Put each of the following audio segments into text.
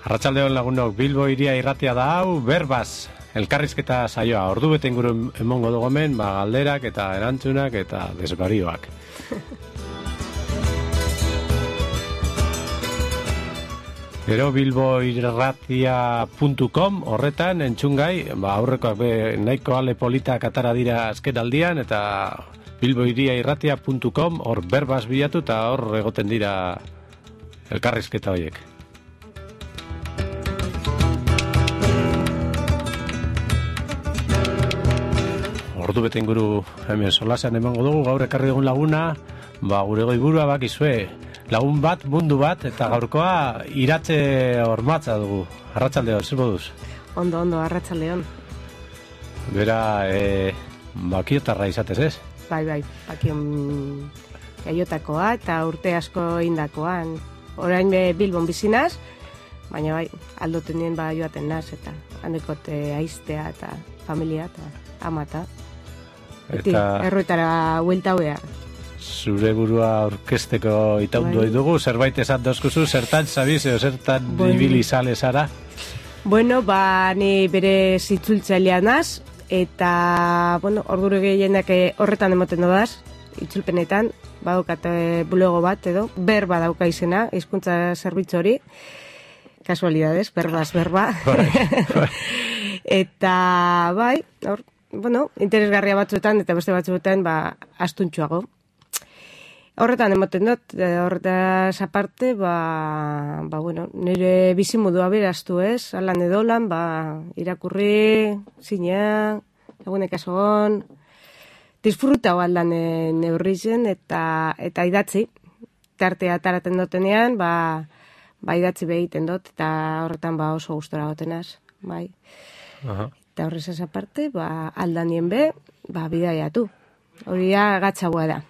Arratsaldeon lagunok, Bilbo Hiria irratia da hau, berbaz, elkarrizketa saioa, ordu bete inguru emongo dugu hemen, galderak eta erantzunak eta desbarioak. Gero bilboirratia.com horretan entzungai, aurrekoak nahiko ale politak atara dira azken aldian, eta bilboiriairratia.com hor berbaz bilatu eta hor egoten dira elkarrizketa horiek. Ordu bete inguru hemen solasean emango dugu, gaur ekarri dugun laguna, gure goiburua bakizue, lagun bat, mundu bat, eta gaurkoa iratze hormatza dugu. Arratsaldeon, zer moduz? Ondo, arratsaldeon. Bera, bakiotarra izatez, ez? Bai, bakion jaiotakoa eta urte asko indakoan. Orain Bilbon bizinaz, baina bai, aldoten nien joaten naz, eta handekote aiztea eta familia eta amata. Eta erruetara huelta behar. Zure burua orkesteko itaundu dugu, zerbait esan dozkuzu, zertan zabiz, zertan ibili sale zara? Bueno, ni bere zitzultzailea naz, eta, ordure gehienak horretan emoten dodaz, itzulpenetan, badukat bulego bat edo, berba dauka izena, hizkuntza zerbitzu hori, kasualidades, berbaz, berba. Eta, bai, interesgarria batzuetan, eta beste batzuetan, astuntxuago. Horretan emoten dut, horretaz aparte, nire bizimodua beraztu ez, alan edolan, irakurri, zina, lagunek asogon, disfrutau aldan neurrizen, eta idatzi, tartea taraten dutenean, idatzi behiten dut, eta horretan oso gustora gotenaz, bai. Eta horrezaz aparte, aldanien bidaiatu, hori gatzagoa da.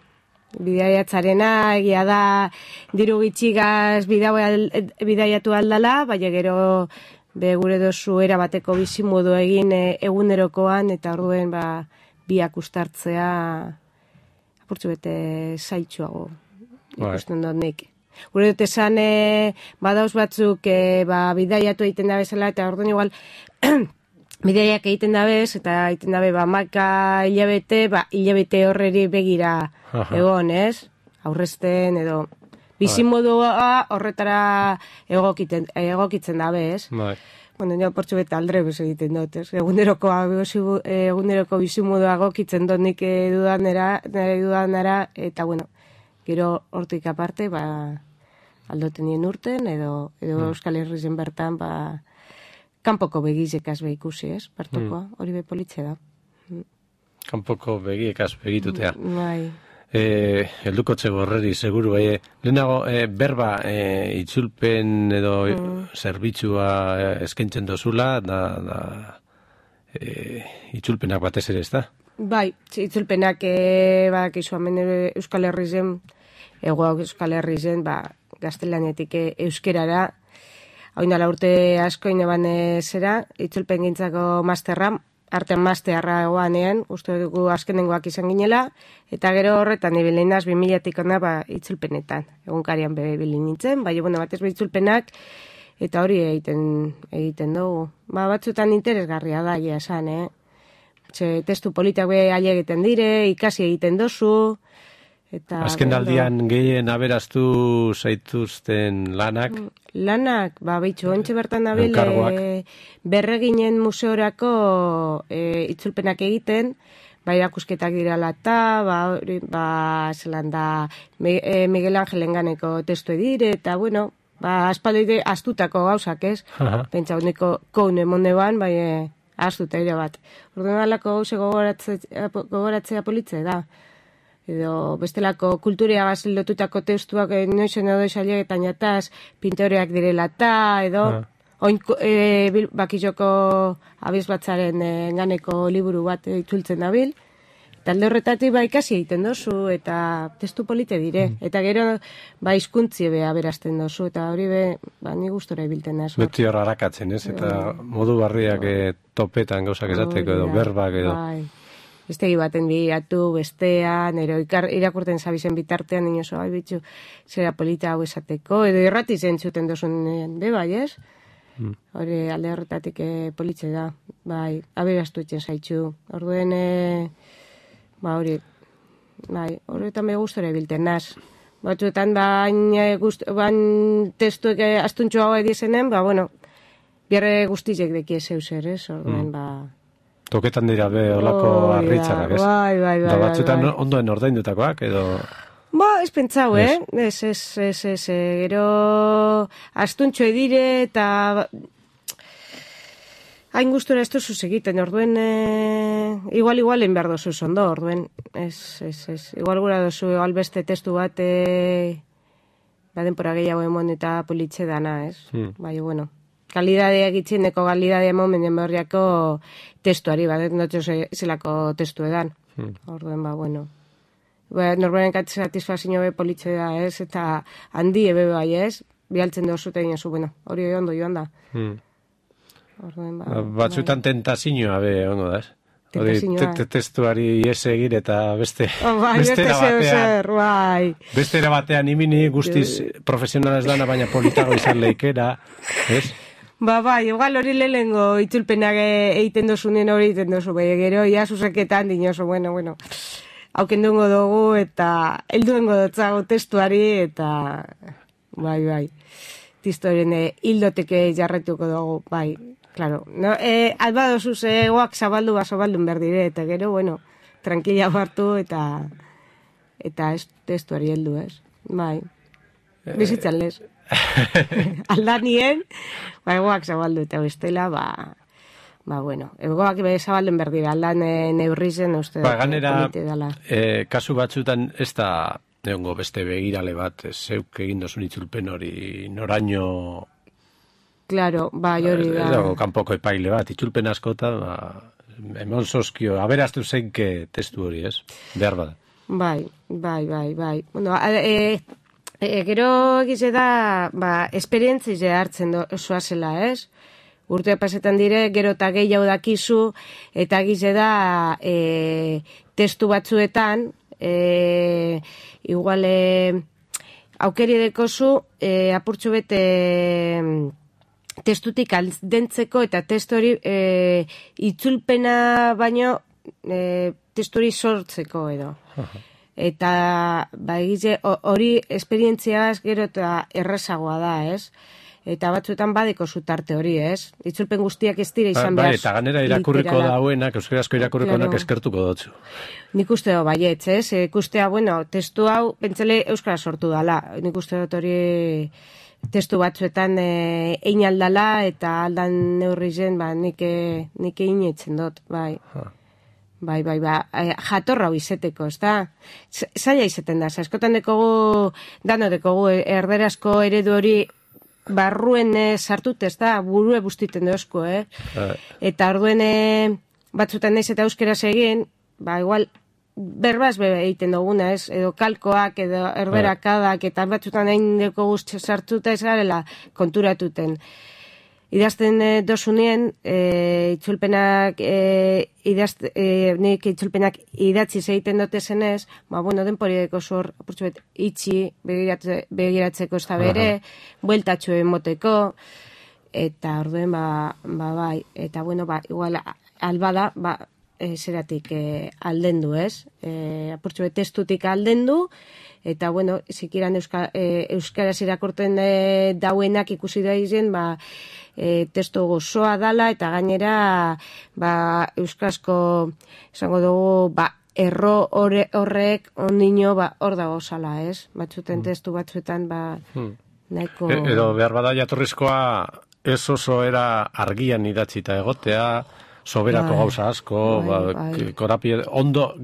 Bidaiatzarena egia da diru gitxigaz bidaiatu aldala, baina gero gure dozu erabateko bizimodu egin egunerokoan, eta orduen biak ustartzea apurtzu bete zaitxuago ikusten dut nik. Gure dut esan badauz batzuk bidaiatu egiten da bezala, eta orduen igual bidaiak egiten dabez, eta egiten dabe maka hilabete horreri begira egon, ez? Aurrezten edo bizimodua horretara egokitzen dabe, ez? Nio portzu bete aldre bez egiten dut, ez? Eguneroko bizimodua egokitzen dut nik dudanera, eta gero hortik aparte, aldoten nien urten, edo Euskal Herrizen bertan, kanpoko begizekaz ikusi, ez? Partokoa, hori politxe da. Kanpoko begiekaz begitutea. Bai. Heldukotze gorreri, seguru, lehenago berba itzulpen edo zerbitzua eskaintzen dozula, itzulpenak batez ere, ez da? Bai, itzulpenak izu hemen Euskal Herrizen, Euskal Herrizen, gaztelanetik euskerara, oindala urte asko ineban zera, itzulpen gintzako masterra, artean masterra egoanean, uste dugu azkenengoak izan ginela, eta gero horretan ibilin naz 2000-tik ona itzulpenetan, egunkarian bilin nintzen, batez itzulpenak, eta hori egiten dugu. Batzutan interesgarria da, esan, testu politak aile egiten dire, ikasi egiten dozu, azken aldian gehien aberaztu zaituzten lanak? Lanak, behitxu, ontsa bertan nabil, berreginen museorako itzulpenak egiten, irakusketak dirala eta, zelan da, Miguel Angelen ganeko testu edire, eta, aspalde astutako gauzak, ez? Pentsa honeko koune moneban, astuta ere bat. Orduan alako gauze gogoratzea politze da. Edo bestelako kulturia lotutako testuak noizen edo esailegetan jataz pintoreak direla eta, edo bakizoko abizbatzaren ganeko liburu bat itzultzen dabil, eta alde horretatik ikasi egiten dozu, eta testu polite dire, eta gero hizkuntzi aberazten dozu, eta hori ni gustora ibilten da. Beti hor harakatzen, ez? Eta modu barriak topetan gauzak esateko edo berbak edo. Estegi baten bilatu, bestean, irakurten zabizen bitartean, inozo, bitxu, zera polita hau esateko, edo irrati zentzuten dozun bai, ez? Hori alde horretatik politxe da, bai, aberastu etxen zaitxu. Orduen, hori, bai, horretan me gustora bilten naz. Batzuetan, bain testuek astuntxo hau edizenen, bueno, bierre guztizek deki zeu zer, ez? Orduen, Toketan dira be olako arritzarak, ez? Bai. Da batzuetan ondoen ordaindutakoak, edo... Ez pentsau, Ez, gero astuntxo edire eta hain gustura ez duzuz egiten, orduen igualen behar dozuz ondo, orduen, ez, igual gura dozu, igual beste testu bat denpora gehiago emon eta politxe dana, ez? Bai, bueno, kalidadea egitzeneko kalidadea momen horriako testuari, notxo zelako testu edan, orduen, bueno. Normalen satisfazio be politxe da, ez? Eta handi ebe bai, ez? Bialtzen dozu eta dinozu, hori ondo joan da. Batzuetan tentazioa be ondo da, ez? Testuari ies egir eta bestera batean imini guztiz profesionalaz dana, baina politago izan leikera, ez? Igual hori lehengo itzulpenak egiten dozunen hori egiten dozu, gero ia zuzeketan dinozu, bueno. Haukendungo dugu eta helduengo dutzago testuari eta bai. Tistoren hildoteke jarretuko dugu, bai, claro. Alba dozuz egoak zabaldun berdire eta gero, bueno, tranquila hartu eta testuari heldu, ez? Bai, bizitzan lez. Aldanien, egoak zabaldu eta bestela, bueno, egoak zabalden berdira, aldan neurrizen uste ganera, kasu batzutan ez da egongo beste begirale bat, zeuk egin dozun itzulpen hori noraino... Claro, hori da. Edo kanpoko epaile bat, itzulpen askota, emon soskio, aberaztu zeinke testu hori, ez? Behar bada. Bai. Bueno, gero egize da, esperientzize hartzen osoa zela, ez? Urtea pasetan dire, gero eta gehiago dakizu, eta gize da testu batzuetan, igual aukeri dekozu, apurtxu bete testutik aldentzeko, eta testu hori itzulpena baino testu hori sortzeko edo. Eta egize hori esperientziaz gero eta errazagoa da, ez? Eta batzuetan badeko zutarte hori, ez? Itzulpen guztiak ez dira izan behar. Eta ganera irakurriko dauenak, euskarazko irakurriko dauenak eskertuko dutzu. Nik uste dut baietz, ez? Ikustea, testu hau, pentsele euskara sortu dala. Nik uste dut hori testu batzuetan ein aldala, eta aldan neurri zen, nik egin etzen dut, bai. Bai, jatorra hau izeteko, ez da? Zaila izeten da, askotan dekogu, dano dekogu, erderazko eredu hori barruen sartut, ez da, burue bustiten dozko, Eta orduen batzutan naiz eta euskeraz egin, igual, berbaz egiten duguna, ez? Edo kalkoak, edo erberakadak, eta batzutan egin deko guzti sartuta ez garela konturatuten. Idazten dozunien, itzulpenak, nik itzulpenak idatzi egiten dute zenez, denpori deko zor, apurtzuet, itxi, begiratzeko ez da bere, bueltatxo emoteko, eta orduen, bai, eta igual, albada, zeratik aldendu, ez? Apurtzuet, testutik aldendu, eta, zikiran euskaraz irakurten dauenak ikusi da izen, testu gozoa dala, eta gainera, euskarazko, esango dugu, erro horrek ondino, hor dago zala, ez? Batzuten testu batzuetan, nahiko... Edo behar bada jatorrizkoa ez oso era argian idatzita egotea, soberako gauza asko, ondo,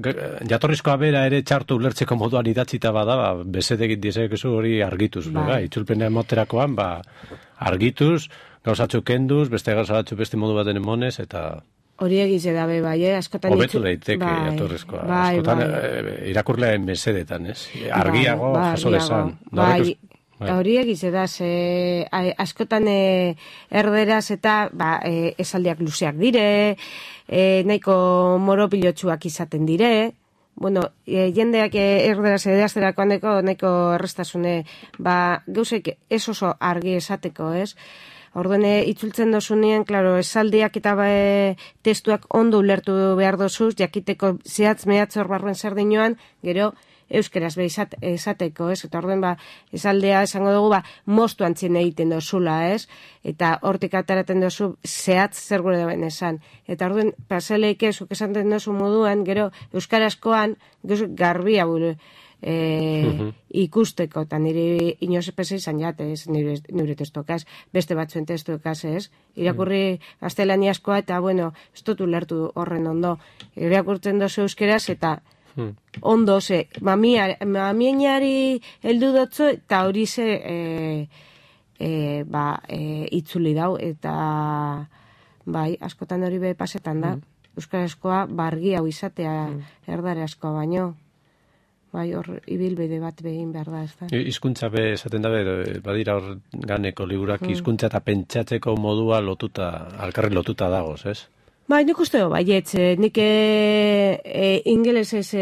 jatorrizkoa bera ere txartu ulertzeko moduan idatzita bada, bezetegit dizekezu hori argituz, itzulpena emoterakoan, argituz, gauzatxo kenduz, beste gauzatxo beste modu baten emonez, eta... Hori egize dabe, askotan... Hobetu daiteke jatorrizkoa, askotan irakurlearen bezedetan, ez? Argiago, jaso desan. Hori egize da, askotan erderaz eta esaldiak luzeak dire, nahiko moropilotxuak izaten dire, jendeak erderaz edazterako handeko nahiko errestasune, gauzek ez oso argi esateko, ez? Orduen itzultzen dozunean, klaro, esaldiak eta testuak ondo ulertu behar dozuz, jakiteko zehatz mehatz hor barruen zer dinoan, gero euskeraz esateko, ez? Eta orduen, esaldea esango dugu, mostu antzien egiten dozula, ez? Eta hortik ataraten dozu zehatz zer gure daben esan. Eta orduen, paseleik zuk esaten dozu moduan, gero euskarazkoan, garbia buru, ikusteko, eta nire inoz epese izan jate, ez, nire testokaz, beste batzuen testokaz, ez, irakurri gaztelaniazkoa, eta, bueno, ez dut ulertu horren ondo, irakurtzen dozu euskeraz, eta ondo, ze, mamienari heldu dotzu, eta hori ze, itzuli dau, eta, bai, askotan hori be pasetan da, euskarazkoa bargi hau izatea, erdarazkoa baino. Bai, hor ibilbide bat behin behar da, ez da. Hizkuntza be esaten da, badira hor ganeko liburak hizkuntza eta pentsatzeko modua lotuta, alkarri lotuta dagoz, ez? Bai, nik uste baietz, nik ingelesez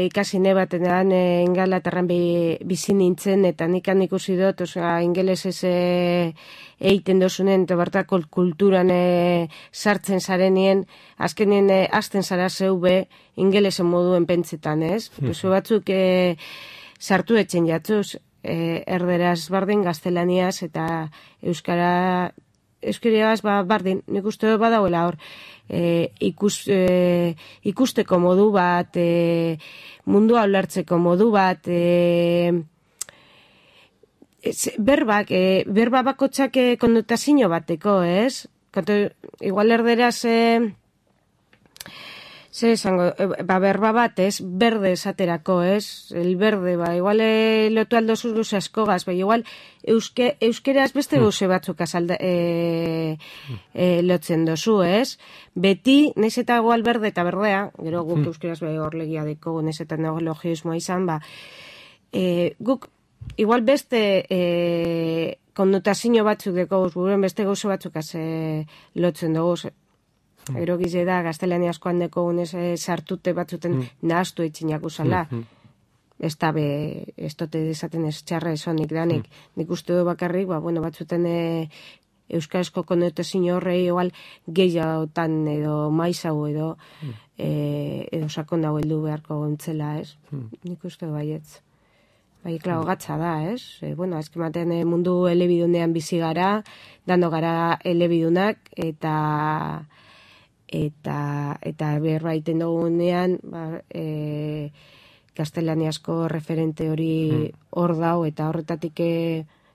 ikasi nebatenan, Ingalaterran bizi nintzen, eta nik ikusi dut, ingelesez egiten dozunen, eta bertako kulturan sartzen zarenien, azkenien hasten zara zeube ingelesen moduen pentsetan, ez? Zu batzuk sartu etxen jatzuz, erderaz bardin, gaztelaniaz, eta euskariaz bardin, nik uste badauela hor, ikusteko modu bat, mundua ulertzeko modu bat, berba bakotxak konnotazio bateko, ez? Igual erderaz, berba bat, ez? Berde esaterako, ez? El berde, igual lotu aldo zuz askogaz, igual euskeraz beste gauze batzuk lotzen dozu, ez? Beti, naiz eta igual berde eta berdea, gero guk euskeraz horlegia deko, naiz eta neologismoa izan, guk igual beste konnotazio batzuk deko, guren beste gauze batzuk lotzen dugu, ero gize da, gaztelaniazkoan deko unez sartute batzuten nahaztu etxinak usala. Ez da ez dote desaten ez txarra esonik danik. Nik uste du bakarrik, batzuten euskarazko konnotazio horrei igual gehiagotan edo maizau edo sakon dago heldu beharko gontzela, ez? Nik uste du baietz. Bai, klar, gatza da, ez? Azkematen mundu elebidunean bizi gara, dando gara elebidunak, eta berbaiten dugunean, gaztelaniazko referente hori hor dau, eta horretatik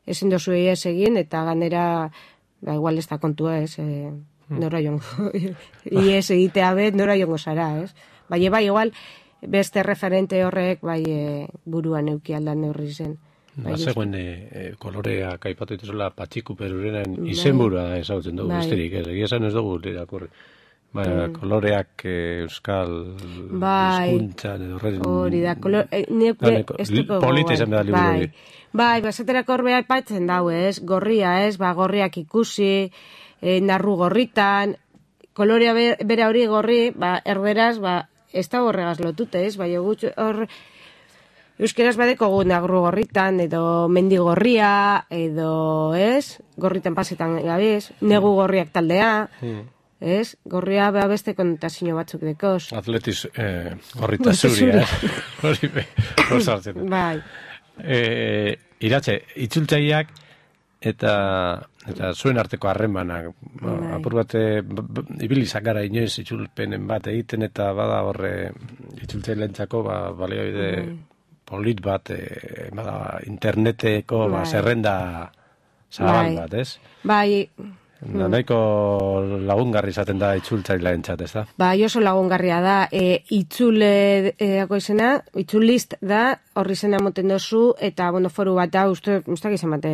ezin dozu ez egin, eta ganera, igual ez da kontua, ez? Nora jongo, ies egitea bet, nora jongo zara, ez? Bai, igual, beste referente horrek, buruan euki aldan neurri zen. Zegoen koloreak aipatu dituzela Patxiku Perurenen izenburua ezagutzen dugu, besterik, ez? Egia esan ez dugu irakurri. Koloreak euskal hizkuntzan edo hori da, polita izan behar liburu hori. Bai, basaterako horbea aipatzen dau, ez? Gorria, ez? Gorriak ikusi, narru gorritan, kolorea bera hori gorri, erderaz, ez da horregaz lotute, ez? Hor euskeraz badeko gu nagru gorritan, edo mendi gorria, edo, ez? Gorritan pasetan gabiz, negu gorriak taldea, ez? Gorria beste konnotazio batzuk dekoz. Atletiz gorrita zuria, hori sartzen. Bai. Iratxe, itzultzaileak eta zuen arteko harremanak, apur bat ibilizak gara inoiz itzulpenen bat egiten, eta bada horre itzultzaileentzako baliabide polit bat, interneteko zerrenda zabal bat, ez? Bai. Nahiko lagungarri izaten da itzultzaileentzat, ez da? Bai, oso lagungarria da. Itzuleko izena, itzulist da, horri izena moten dozu, eta foru bat da, ustak izan bat,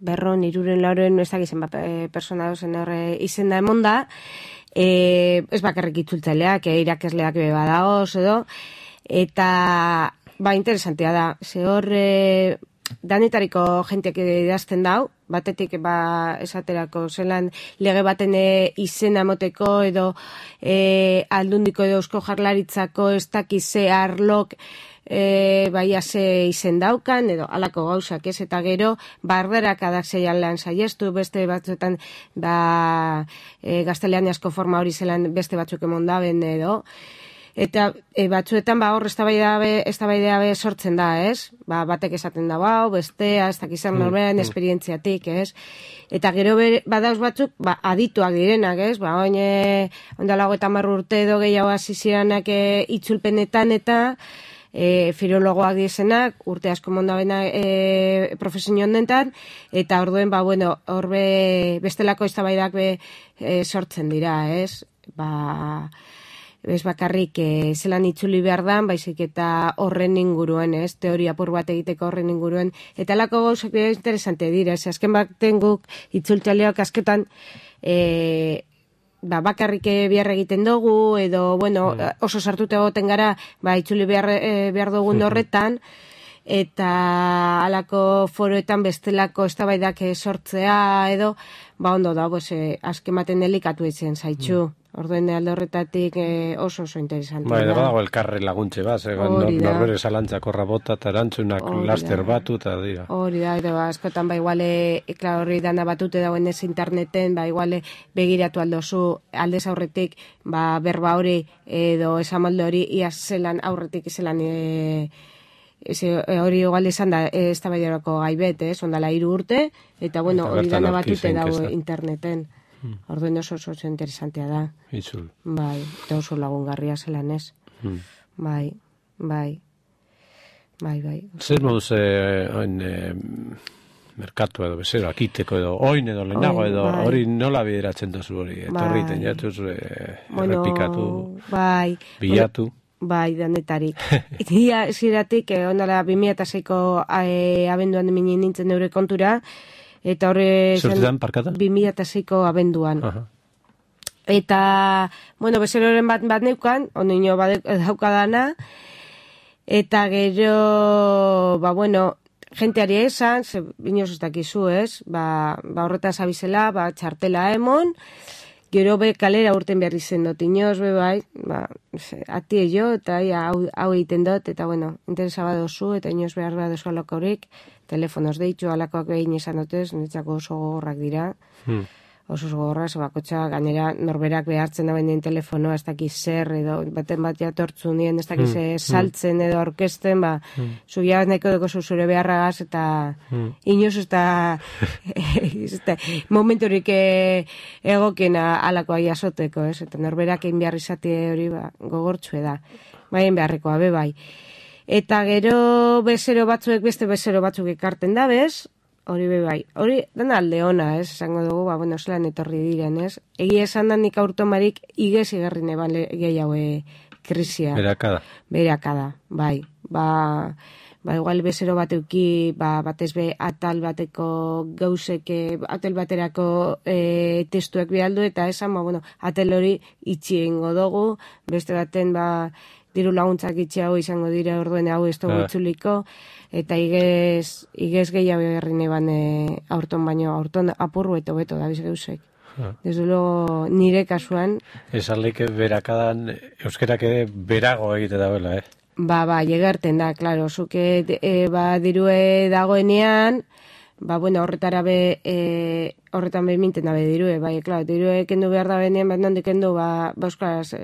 berron, iruren, lauren, ez da izan bat persona dozen horre izena emon da, ez bakarrik itzultzaileak, irakasleak badagoz edo, eta interesantea da, ze hor danetariko jenteak idazten dau, batetik esaterako zelan lege baten izena moteko edo aldundiko edo eusko jarlaritzako ez dakize arlok ze izen daukan edo alako gauzak ez, eta gero barderak adak zeian lan saiestu, beste batzuetan gaztelaniazko forma hori zelan beste batzuk emondaben edo, eta batzuetan hor eztabaida sortzen da, ez? Batek esaten da, bestea, ez dakizan norberan esperientziatik, ez? Eta gero badauz batzuk, adituak direnak, ez? Ondalago eta 10 urte edo gehiago hasi ziranak itzulpenetan eta filologoak dizenak, urte asko mondabena profesio honentan, eta orduen, horbe bestelako eztabaidak sortzen dira, ez? Ez bakarrik zelan itzuli behar dan, baizik eta horren inguruen, ez? Teoria apur bat egiteko horren inguruen. Eta lako gauzak interesante dira, ez? Azken baten guk itzultzaleak asketan bakarrik behar egiten dugu, edo, oso sartute egoten gara, itzuli behar dugun horretan, eta alako foroetan bestelako eztabaidak sortzea, edo, ondo da, azken baten delikatu itzen zaitxu. Orduen alde horretatik oso interesante. Da badago elkarre laguntze bat, norbere zalantzako rabota eta erantzunak laster batu eta dira. Hori da, edo askotan iguale, hori dana batute dauen ez interneten, iguale begiratu aldozu aldez aurretik, berba hori edo esamaldo hori iaz zelan aurretik zelan hori igual esan da ez da baiderako gaibet, ondala 3 urte, eta hori dana batute dago interneten. Orduen oso interesantea da. Itzul. Eta oso lagungarria zelan ez. Bai. Zer moduz merkatu edo bezero, akiteko edo, oin edo lehenago edo, hori nola bideratzen dozu hori, etorri tenatuz, errepikatu, bilatu. Danetarik. Ia ziratik, ondala 2006ko abenduan minin nintzen neure kontura, eta horre... Zurtetan, parkata? 2006ko abenduan. Eta, bezeroren bat neukan, ondino daukadana, eta gero, jenteari esan, binoz ez dakizu, ez? Horretaz abizela, txartela emon, gero kalera urten behar izen dut, inoz, atie jo, eta hau egiten dut, eta, interesa badozu, eta inoz behar badozu alokorik, telefonoz deitu, alakoak behin izan dutez, niretzako oso gogorrak dira, oso gogorrak, bakotxa, gainera norberak behartzen da behin telefonoa, ez dakiz zer, edo baten bat jatortzu nien, ez dakiz saltzen edo orkesten, zuia nahiko dugu zure beharragaz, eta inoz ez da momenturik egokiena alakoa jasoteko, ez, eta norberak egin behar izate hori gogortzue da, egin beharrekoa, bai. Eta gero beste bezero batzuk ekarten da, bez? Hori bai. Hori dana alde ona, ez? Esango dugu, zelan etorri diren, ez? Egia esan da nik aurtomarik igez igarrin eban gehiago krisia. Berakada, bai. Igual bezero bat euki, batez be atal bateko gauzek, atal baterako testuek bialdu, eta esan, atal hori itxi egingo dugu, beste baten, diru laguntzak itxeago izango dira orduen hau ez dugu itzuliko, eta igez gehiago egarrin eban aurton baino, aurton apurru eta beto da bizgeusek. Desde luego nire kasuan... Esan leike berakadan euskerak ere berago egite dagoela, Llegarten da, klaro, zuke dirue dagoenean, horretara horretan minten dabe dirue, klaro, dirue kendu behar da benean, nondik kendu, euskaraz,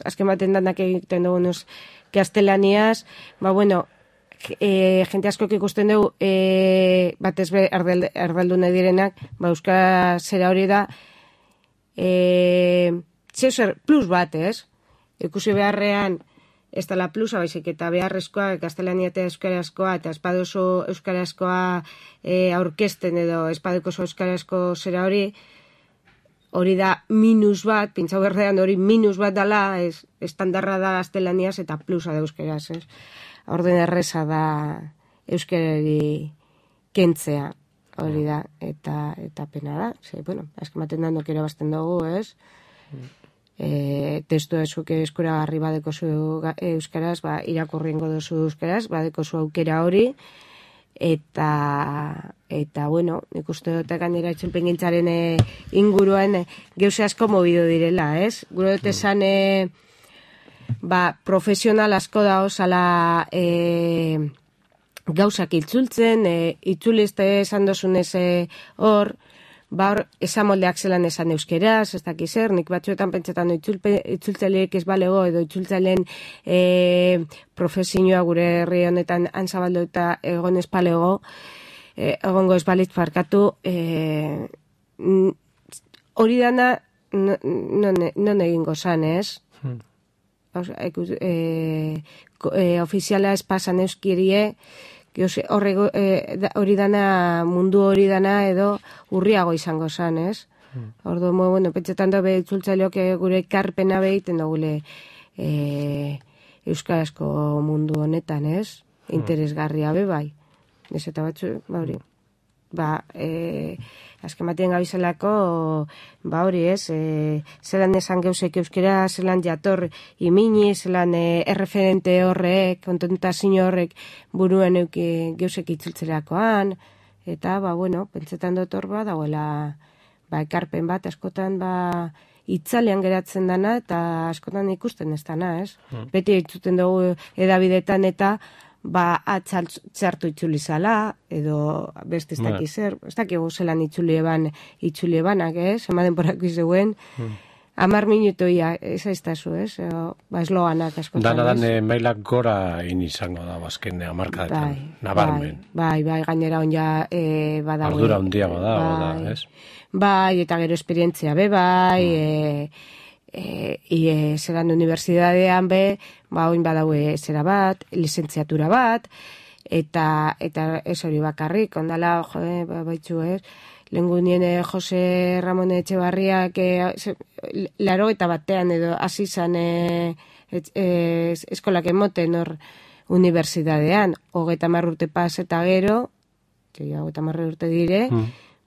azken baten danak egiten dugu nuz gaztelaniaz, jente askok ikusten dugu, batez be erdaldu nahi direnak, euskaraz zera hori da, plus bat, ez? Ikusi beharrean, ez dela plusa, baizik eta beharrezkoa, gaztelania eta euskarazkoa, eta espadoso euskarazkoa aurkesten edo espadokoso euskarazko zera hori da minus bat, pintzau berdean hori minus bat dala, estandarra da gaztelaniaz eta plusa da euskaraz, ez? Orden erreza da euskarari kentzea, hori da, eta pena da, azken baten da nokera bazten dugu, ez? Testu ezuk eskuragarri badeko zu euskaraz, irakurri ingo duzu euskaraz, badeko zu aukera hori, eta bueno, nik uste dut gainera itzulpengintzaren inguruan geuse asko mobido direla, ez? Gure dut esan profesional asko da osala gauzak itzultzen, itzulizte esan dozunez hor, esamoldeak zelan esan euskeraz, ez dakiz zer, nik batzuetan pentsetan itzultzaileek ez balego, edo itzultzaileen profesioa gure herri honetan antzabaldo eta egon ez balego, egongo ez balitz farkatu, hori dana non egingo zan, ez? Ofiziala ez pasan euskirie, hori dana, mundu hori dana edo urriago izango zan, ez? Ordu, bueno, pentsetan dobe itzultzaileok gure ekarpena behiten dugule euskarazko mundu honetan, ez? Interesgarria be bai. Ez eta batzu, hori. Azken batien gabizelako, hori ez, zelan esan geusek euskera, zelan jator imini, zelan erreferente horrek, kontentazio horrek buruen geusek itzultzerakoan, eta, bueno, pentsetan dut hor dagoela, ekarpen bat, askotan, itzalean geratzen dana, eta askotan ikusten ez dana, ez? Beti itzuten dugu edabidetan eta, atzartu itzulizala, edo beste ez dakiz zer, ez dakigu zelan itzulebanak, ez? Ema denporako izeguen, 10 minutoia, ez aiztazu, ez? Esloganak askotan, ez? Dana mailak gora izango da, azken hamarkadetan, nabarmen. Bai, gainera on ja badago. Ardura handiago da, ez? Bai, eta gero esperientzia be, bai, zelan unibertsitatean be, oin badaue zera bat, lizentziatura bat, eta ez hori bakarrik, ondala, baitzu ez, lehengunien Jose Ramon Etxebarriak 81 edo hasi zan eskolak emoten hor unibertsitatean, 30 urte pas eta gero, 30 urte dire,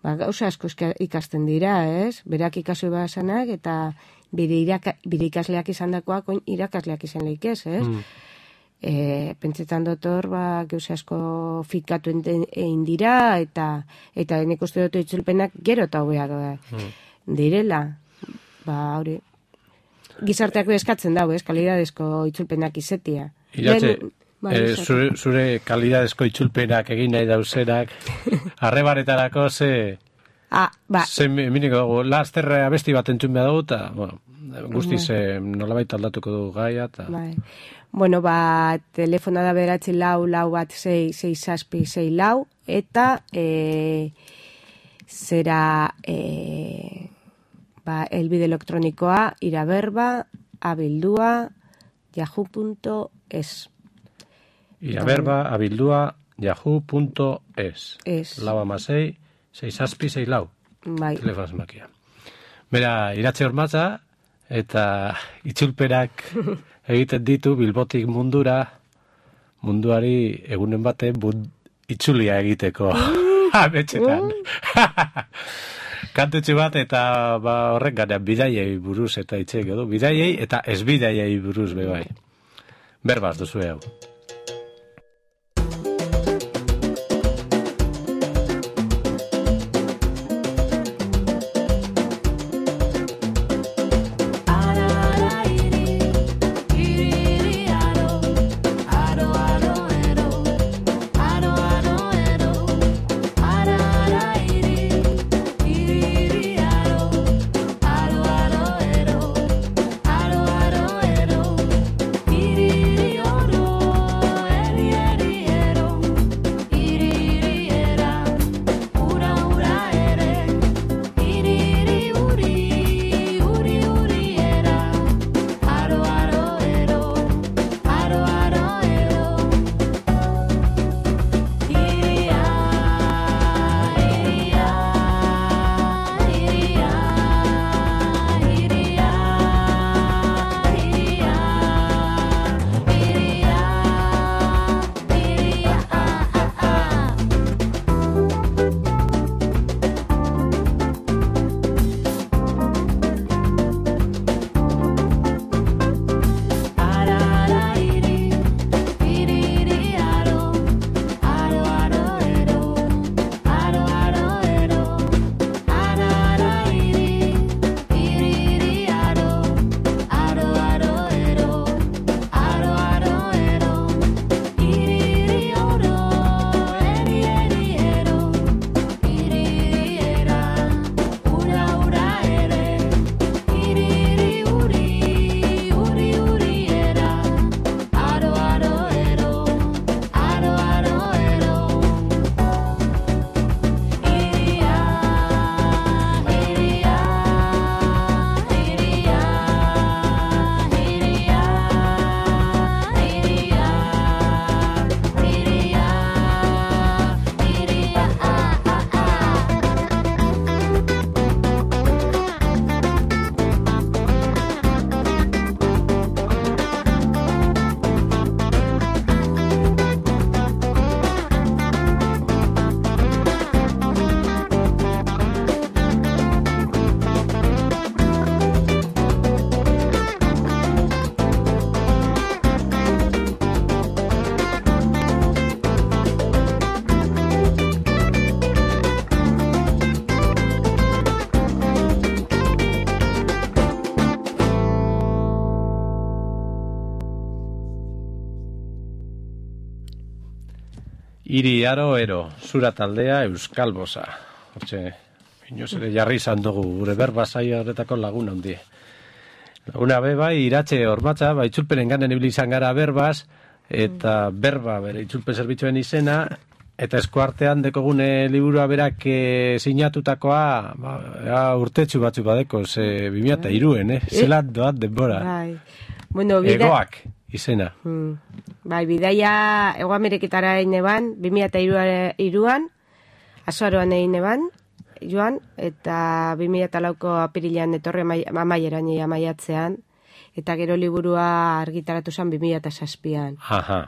gauza asko ikasten dira, ez? Berak ikasu basanak eta bire ikasleak izan dakoak irakasleak izan lehik ez? Pentsetan dotor, gauza asko fikatu egin dira eta nik uste dut itzulpenak gero eta hobeak direla. Hori. Gizarteak eskatzen dago, ez? Kalidadezko itzulpenak izetia. Iratxe, zure kalidadezko itzulpenak egin nahi dauzenak, arrebaretarako ze miniko dugu, lasterra abesti bat entzun behar dugu, eta, bueno, guztiz nolabait aldatuko dugu gaia, eta... Bueno, telefona da 944166664, eta zera elbide elektronikoa iraberba@yahoo.es. iraberba@yahoo.es. Lau 66664. Bai. Telefono zenbakia. Bera, Iratxe Ormatza, eta itzulperak egiten ditu Bilbotik munduari egunen bate itzulia egiteko ametxetan. Kantutxu bat eta horrek ganean bidaiei buruz eta itxeik edo, bidaiei eta ez bidaiei buruz bebai. Berbaz duzu hau. Iri aro ero, zura taldea Euskal Bosa. Hortxe, inoz ere jarri izan dugu, gure berba saio horretako lagun handie. Laguna bai, iratxe hormatza, itzulpenen ganen ibili izan gara berbaz, eta berba bere itzulpen zerbitzuen izena, eta eskuartean dekogune liburua berak sinatutakoa urtetxu batzu badeko, 2003, zelat doat denbora. Bueno, Egoak izena. Bai, bidaia Hego Ameriketara eban, 2003an, azaroan eban, joan, eta 2004ko apirilean etorri amaieran amaiatzean, eta gero liburua argitaratu zen 2007an. Aha.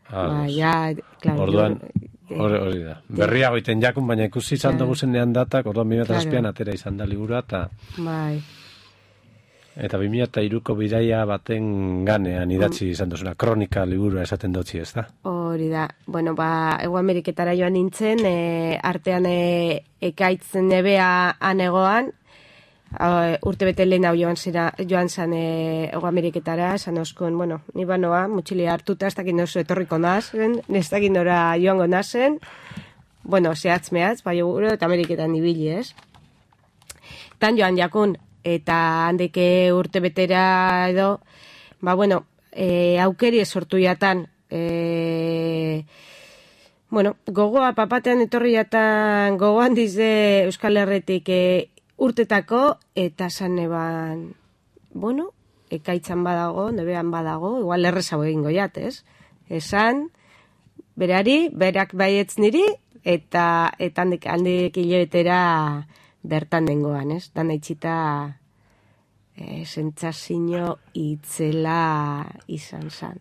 Claro, orduan, hori da. Berriago iten jakun, baina ikusi izan dugu zenean datak, orduan 2007an atera izan da liburua, eta 2003ko bidaia baten ganean idatzi izan duzuna, kronika liburua esaten dutzi, ez da? Hori da. Bueno, Hego Ameriketara joan nintzen, artean ekaitzen nebea anegoan, urte bete lehen hau joan zan Hego Ameriketara, esan oskun, bueno, ni banoa, mutxilia hartuta, ez dakit nozu etorriko nazen, ez dakit nora joango nazen, bueno, zehatz-mehatz, bai gure, eta Ameriketan ibili, ez? Tan joan jakun, eta handeke urte betera edo, bueno, aukeri sortu jatan, bueno, gogoa papatean etorri jatan, gogoan dize Euskal Herretik urtetako, eta zan eban, bueno, ekaitzan badago, nebean badago, igual errezago egingo jat, ez? Esan, berari, berak baietz niri, eta handik hilabetera bertan dengoan, ez? Dan eitxita sentsazio itzela izan zan.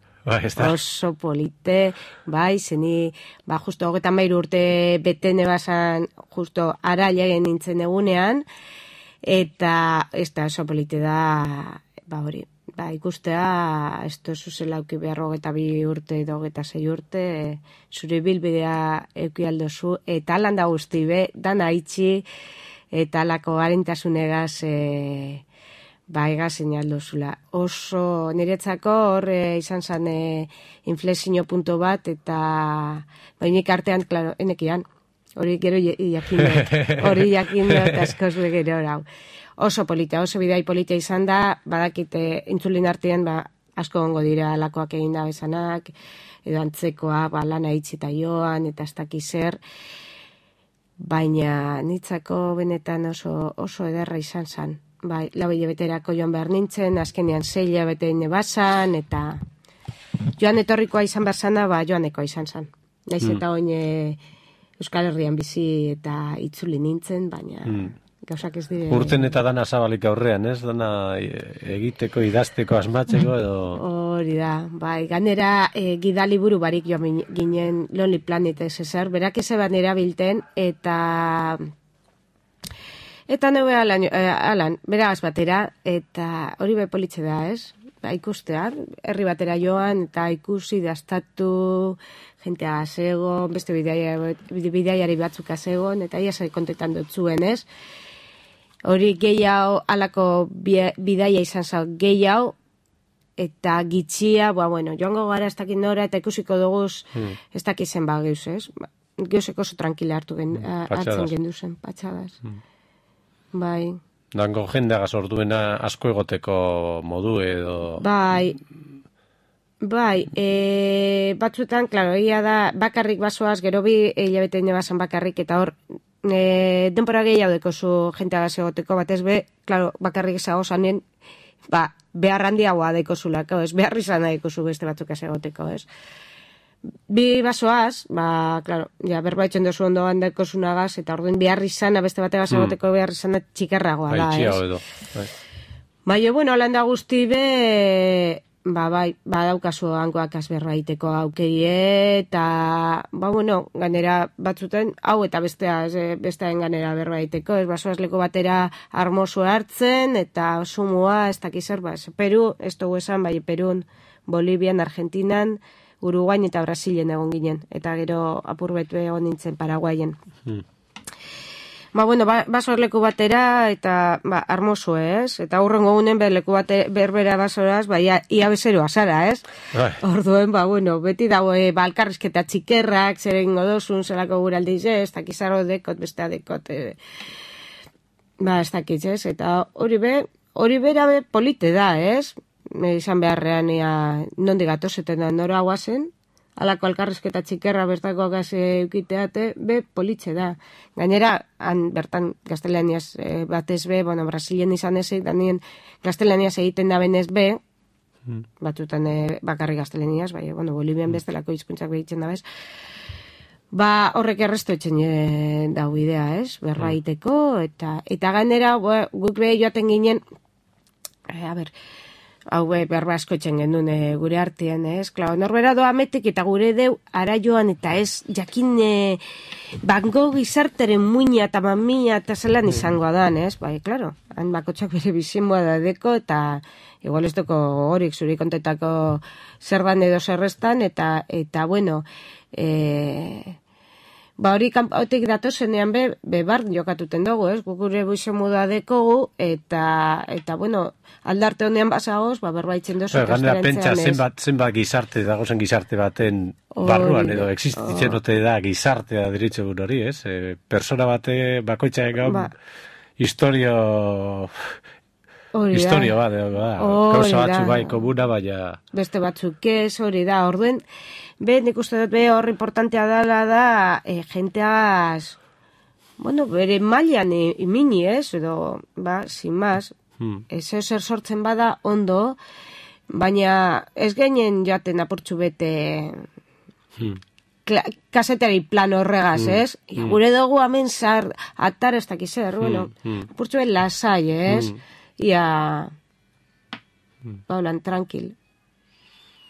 Oso polite, bai, zeni, justo 33 urte beten ebazan, justo ara legen nintzen egunean, eta ez da oso polite da, hori, ikustea, ez tozu zela auki behar 22 urte edo 26 urte, zure bilbidea euki aldozu, eta alan da guzti be, dana itxi, eta alako harintasunegaz, egaz aldozula. Oso niretzako hor izan zen inflexio punto bat, eta bainik artean, klaro, enekian, hori gero jakin dut askoz gero hau. Oso polita, oso bidai polita izan da, badakite intzulin artean, asko gongo dira alakoak egin da bezanak, edo antzekoa, lana itxita joan, eta ez dakiz zer, baina nitzako benetan oso ederra izan zen. Bai, 4 hilabeterako joan behar nintzen, azkenean 6 hilabete bazan, eta joan etorrikoa izan behar zana, joanekoa izan zan. Naiz eta oin Euskal Herrian bizi eta itzuli nintzen, baina gauzak ez dire... Urten eta dana zabalik aurrean, ez? Dana egiteko, idazteko, asmatzeko edo... Hori da, bai, ganera gidaliburu barik joan ginen Lonely Planet ezer, berak ezeban erabilten, eta neu alan, beraz batera, eta hori politxe da, ez? Ikustea, herri batera joan, eta ikusi daztatu, jentea azegon, beste bidaiari batzuk azegon, eta ia zai kontetan dut zuen, ez? Hori gehiago, alako bidaia izan zau gehiago, eta gitxia, joango gara ez dakit nora, eta ikusiko duguz, ez dakizen geuz, ez? Geuzeko oso tranquila hartzen genduzen, patxadas. Bai. Dango jendeagaz orduena asko egoteko modu edo... Bai, batzuetan, klaro, egia da, bakarrik basoaz, gero bi hilabete nebazan bakarrik, eta hor, denpora gehiago dekozu jenteagaz egoteko, batez be, klaro, bakarrik ezago zanen, behar handiagoa dekozulako, ez, behar izan dekozu beste batzuk ez egoteko, ez. Bi basoaz, klaro, berbaitzen dozu ondoan dekozunagaz, eta orduan behar izana, beste bategaz egoteko behar izana txikerragoa da, ez. Bueno, holanda guzti be, badaukazu hangoak azberbaiteko aukerie, eta, ganera batzuten, hau eta bestearen ganera berbaiteko, ez basoaz leko batera armoso hartzen, eta sumua, ez dakizar, Peru, ez dugu esan, Perun, Bolivian, Argentinan, Uruguain eta Brasilen egon ginen, eta gero apurbet egon nintzen Paraguayen. bueno, basor leku batera, eta, armoso, ez? Eta hurrengo gunen, leku berbera basoraz, ia bezeroa zara, ez? Orduen, bueno, beti dago, alkarrizketa txikerrak, zer egingo dozun, zelako guraldiz, ez? Takizarro dekot, bestea dekot, ez dakitz, ez? Eta hori bera polite da, ez? Izan beharrean, nondik gatozeten da nora guazen, alako alkarrizketa txikerra bertako gaze eukiteate, politxe da. Gainera, bertan gaztelaniaz batez bueno, Brasilien izan ezek, danien gaztelaniaz egiten da benez batzutan bakarri gaztelaniaz, bueno, Bolivian bestelako hizkuntzak behitzen da bez, horrek erresto etxen dau idea, ez? Berra iteko, eta gainera, guk joaten ginen, hau berba asko etxen genuen gure artean, ez? Klau, norbera doa metek eta gure deu ara joan eta ez jakin bango gizarteren muina eta mamia eta zelan izango dan, ez? Klaro, han bakotxak bere bizimoa da deko eta igual ez doko horik zuri kontetako zerban edo zerrestan eta bueno, hori kanpotik datozenean bar jokatuten dugu, ez? Gure buize moda dekogu, eta bueno, aldarte honean basagoz, berbaitzen dozu. Ganera pentsa zenbat gizarte, dagozen gizarte baten barruan, edo existitzen ote da gizartea diritzegun hori, ez? Persona bate bakoitzaek gau historio bat, gauza batzu bai komuna, baina... Beste batzuk ez, hori da, orduen, nik uste dut hor importantea dela da, jenteaz, bueno, bere mailan imini ez, edo, sin más, zer sortzen bada ondo, baina ez geinen joaten apurtxu bete kasetari plan horregaz, ez? Gure dugu hemen zar, atar ez dakizer, bueno, apurtxu bet lasai, ez? Ia, baulan, tranquil.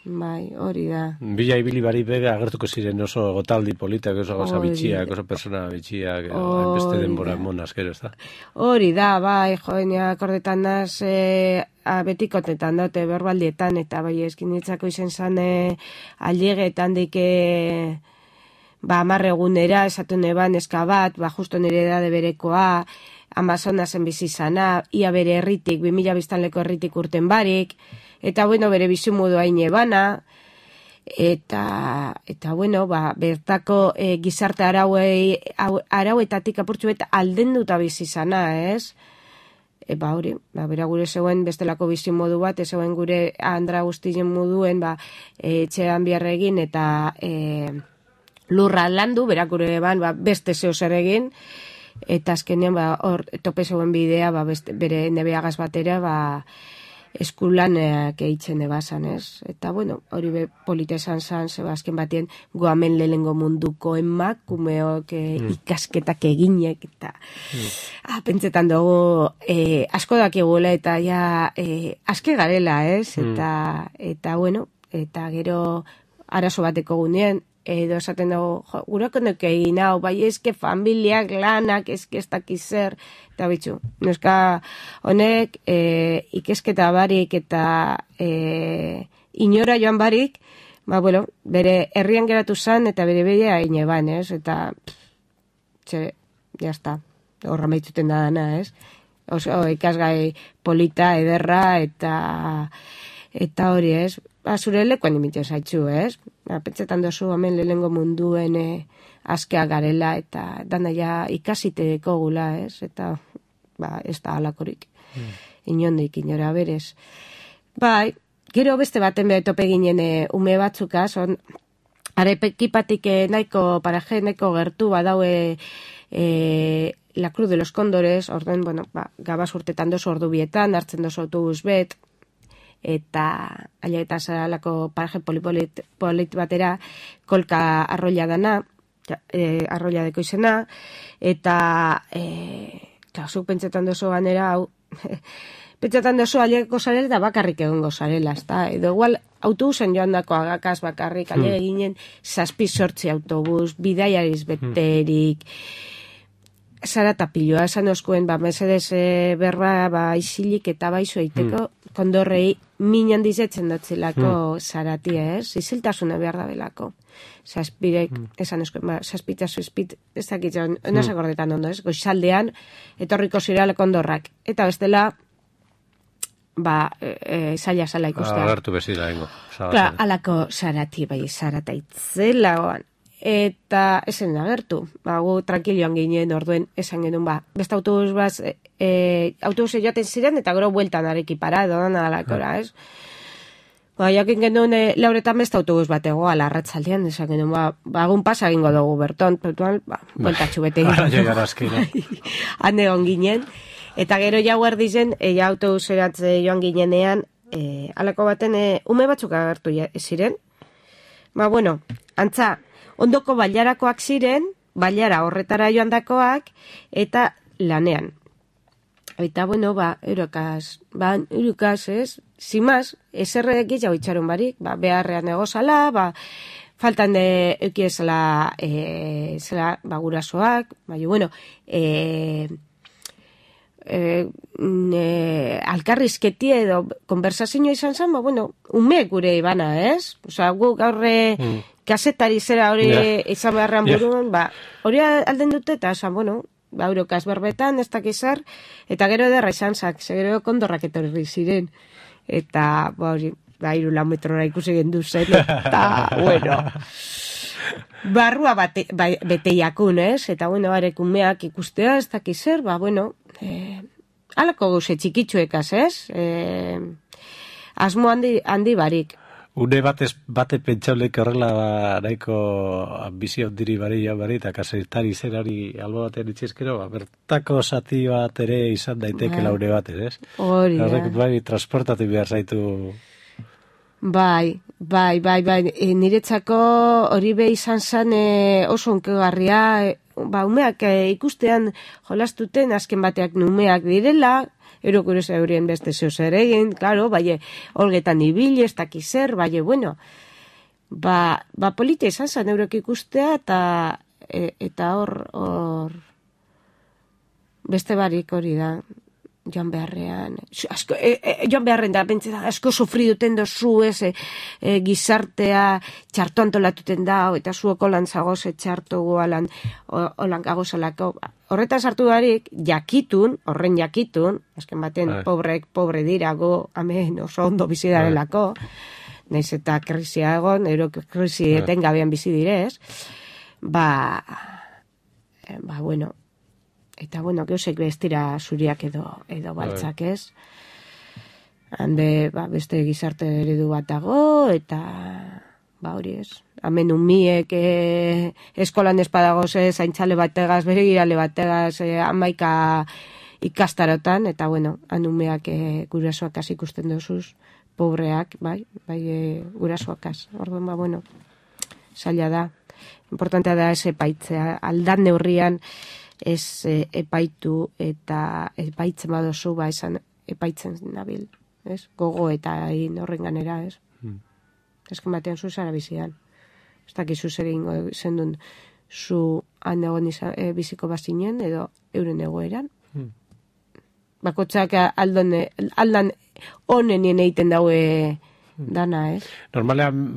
Hori da. Bila ibili bari bega agertuko ziren oso gotaldi politak, oso gauza bitxiak, oso persona bitxiak, beste denbora monaz, gero, ez da? Hori da, joenia akordetan naz, betikotetan dute, berbaldietan, eta eskin ditzako izen zane, aliegetan dike, amarregunera, esatu neban, eska bat, justo nire edade berekoa, Amazonasen bizizana, ia bere herritik, 2000 biztanleko herritik urten barik, eta bueno, bere bizumudu haine bana, eta bueno, bertako gizarte arauetatik apurtxu eta aldenduta bizizana, ez? Hori, bera gure zegoen bestelako bizimodu bat, zegoen gure andra guztien moduen, etxean biarregin, eta lurra landu, bera gure beste zeo zer egin, eta azkenean hor tope zegoen bidea bere nebeagaz batera eskulanak eitzen ebazan, ez? Eta bueno, hori polita esan zan, azken batien goamen lehengo munduko emakumeok ikasketak eginek, eta pentsetan dugu asko dakigula eta aske garela, ez? Eta bueno, eta gero arazo bateko gunean, edo esaten dugu, gurako nuke egin hau, eske familiak, lanak, eske ez dakizer, eta bitxu, neska honek ikesketa barik eta inora joan barik, bueno, bere herrian geratu zan eta bere bidea egin eban, ez? Eta, jazta, horra maitzuten da dana, ez? Oso ikasgai polita, ederra, eta hori, ez? Zure lekuan imitio zaitzu, ez? Pentsetan dozu hemen lehengo munduen askea garela eta dana ikasiteko gula, ez? Eta, ez da alakorik. Inondik, inora berez. Gero beste baten tope ginen ume batzukaz, arepekipatik nahiko paraje, nahiko gertu badaue La Cruz de los Cóndores, orden, bueno, gabaz urtetan dozu ordu bietan, hartzen dozu autobus bet, eta aila eta zaralako paraje polit batera kolka arroila dana, arroila deko izena, eta zuk pentsetan dozu ganera, hau, pentsetan dozu ailegeko zarela eta bakarrik egongo zarela, edo igual autobusen joan dako agakaz bakarrik, aile ginen 7-8 autobus, bidaiariz beterik, zaratapiloa, esan oskuen, mesedez berba, isilik eta baizu eiteko, kondorrei minan dizetzen datzelako zaratia, ez? Iziltasuna behar da belako. Zazpirek, esan oskuen, zazpitazu espit, ez dakitza, nazak gordetan ondo, ez? Goizaldean, etorriko zirale kondorrak. Eta bestela, zaila zala ikustea. Agertu bezila, ingo. Alako zarati, zarata itzela, eta esen agertu. Gu tranquilioan ginen orduen esan genuen, beste autobus bat, autobuse joaten ziren, eta gero bueltan areki parado, alakora, ez? Jakin genuen, lauretan beste autobus bat egoa, larratzaldean, esan genuen, egun pasa egingo dugu berton, bueltatxu bete egin. Han egon ginen. Eta gero jau erdizen, autobuseratze joan ginenean, alako baten, ume batzuk agertu ziren. Antza, ondoko bailarakoak ziren, bailara horretara joan dakoak, eta lanean. Eta, eurokaz, ez? Zimaz, eserrek jau itxaron barik, beharrean egozala, faltan eukiezala, gurasoak, alkarrizketi edo konversazioa izan zen, ume gure ibana, ez? Gu gaurre kasetari zera hori izan beharrean buruan, hori alden dute, eta esan, eurokaz berbetan, ez dakizar, eta gero ederra izan zak, gero kondorrak etorri ziren, eta, hori, 3 metrora ikusi gendu zen, eta, barrua beteiakun, ez? Eta, arek umeak ikustea, ez dakizar, alako gauze txikitsuekaz, ez? Asmo handi barik. Une bate pentsaulek horrela nahiko bizi ondiri bari eta kasetari zerari albo batean itxezkero, bertako zati bat ere izan daiteke laune batez, ez? Hori da. Horrek transportatu behar zaitu. Bai, niretzako hori be izan zen oso onkegarria, umeak ikustean jolastuten azken bateak numeak direla, erokuruz eurien beste zehoz ere egin, klaro, olgetan ibili, ez dakizer, polita izan zen eurok ikustea, eta hor beste barik hori da, joan beharrean, joan beharren da, asko sufri duten dozu, gizartea txarto antolatuten da, eta zuoko lan zagoz txarto gualan, holan gagozalako. Horretan sartu darik, horren jakitun, azken baten pobre dira, amen oso ondo bizi darelako, nahiz eta krisia egon, krisi etengabean bizi direz, eta geusek bestira zuriak edo baltzak, ez? Hande, beste gizarte eredu bat dago, eta hori ez. Hemen umiek eskolan espadagoz zaintzale bategaz, bere girale bategaz, 11 ikastarotan, eta han umeak gurasoakaz ikusten dozuz, pobreak, gurasoakaz. Orduan, zaila da. Importantea da ez epaitzea. Aldan neurrian ez epaitu eta epaitzen badozu, esan epaitzen nabil. Gogo eta horren ganera, ez? Ezken batean zu zara bizidan. Ez dakizu zer egingo zendun zu han egon biziko bazinen edo euren egoeran. Bakotxak aldan honenien egiten daue dana, ez? Normalean,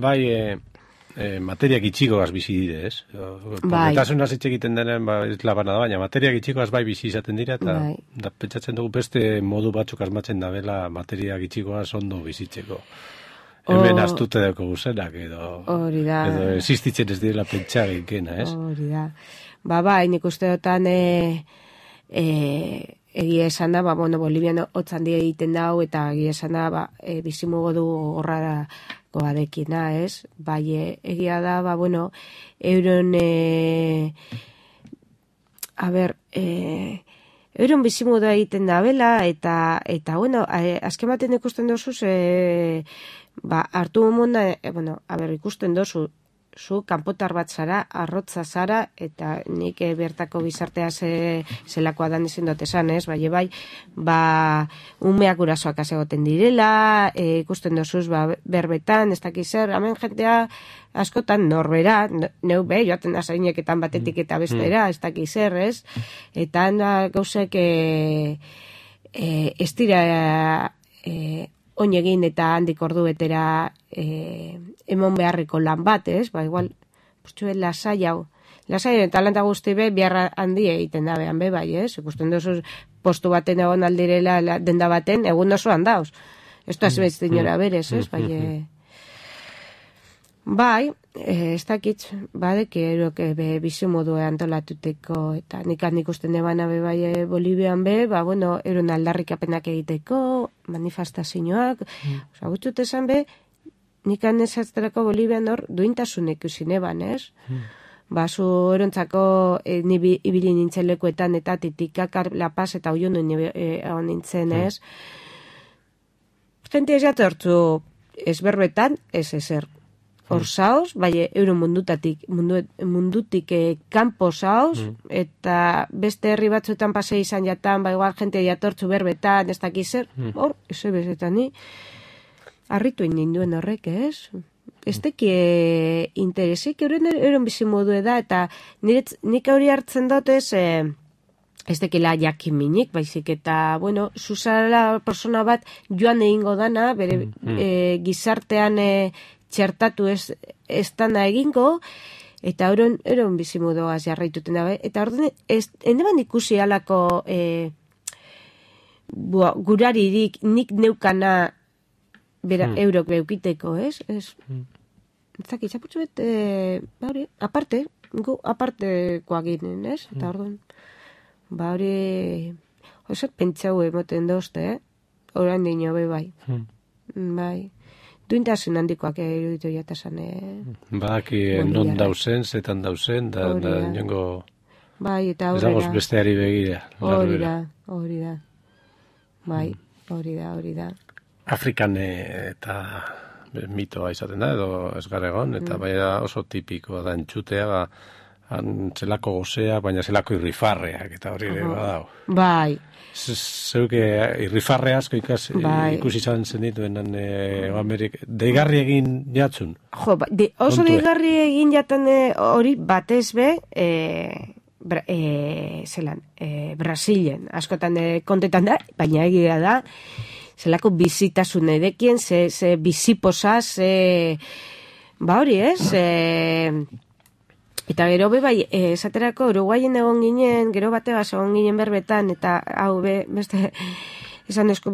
materiak itxikoaz bizi dire, ez? Pobretasuna zitxe egiten denen, ez labana da, baina materiak itxikoaz bizi izaten dira, eta pentsatzen dugu beste modu batzuk asmatzen da bela materiak itxikoaz ondo bizitzeko. Hemen astute deko guzenak, edo existitzen ez direla pentsar eginkena, ez? Hori da. Nik uste dutan egia esan da, Bolivian hotzan die egiten dau, eta egia esan da, bizimugo du gorrarako adekina, ez? Egia da, euron euron bizimugo da egiten da bela, eta azken baten ikusten dozuz, hartu munda, ikusten dozu, zu kanpotar bat zara, arrotza zara, eta nik bertako bizartea zelakoa dan ezin dut esan, ez? Bai, umeak gurasoak asegoten direla, ikusten dozuz, berbetan, ez dakiz zer, hemen jentea askotan norbera, neu joaten azaineketan batetik eta bestera, ez dakiz zer, ez? Eta gauzek ez dira oinegin eta handik ordu betera emon beharriko lan bat, ez? Igual, lasai hau. Lasai eta lanta guzti behar handi egiten da behan bai, ez? Ikusten dozuz postu baten egon aldirela denda baten, egun osoan dauz. Ez da zibetz dinora berez, ez? Bai, ez dakit, badek erok bizimodu antolatuteko, eta nik ikusten debana bai Bolivian euron aldarrikapenak egiteko, manifestazioak, gutxut esan nik ezazterako Bolivian hor duintasun ikusin eban, ez? Zu erontzako ibili nintzen lekuetan eta Titikakar, La Paz eta Oiono nintzen, ez? Gente ez jatortzu ezberbetan, ez ezer. Hor zauz, euro mundutik kanpo zauz, eta beste herri batzuetan pasei izan jatan, igual jente jatortzu berbetan, ez dakizer, hor, ez bezetan ni, harritu ninduen horrek, ez? Ez teki interesik, euren bizimodu da, eta nik hori hartzen dut ez dekila jakiminik, baizik, eta, zuzala persona bat joan egingo dana, bere gizartean txertatu ez dana egingo, eta euron bizimodoaz jarraituten da. Eta orduan, endeban ikusi alako guraririk nik neukana eurok beukiteko, ez? Ez zaki, zaputzu aparte, gu apartekoa ginen, ez? Eta orduan, hori, oso pentsau emoten dozte, oran dino, bai. Bai. Duintasun handikoak eruditu jatasan. Badaki non dauzen, zetan dauzen, da niongo... Bai, eta horrela. Ez dagoz besteari begira. Hori da. Bai, hori da. Afrikan eta mitoa izaten da, edo ez garegon, eta bai oso tipikoa da entxutea, zelako gozea, baina zelako irrifarreak, eta hori ere badao. Bai. Zeuke irrifarre asko ikusi izan zen dituen deigarri egin jatzun. Oso deigarri egin jaten hori batez Brasilen askotan kontetan da, baina egia da zelako bizitasun edekien, ze bizipozaz, hori ez, eta gero esaterako Uruguayen egon ginen, gero bategaz egon ginen berbetan, eta hau beste, esan duzko,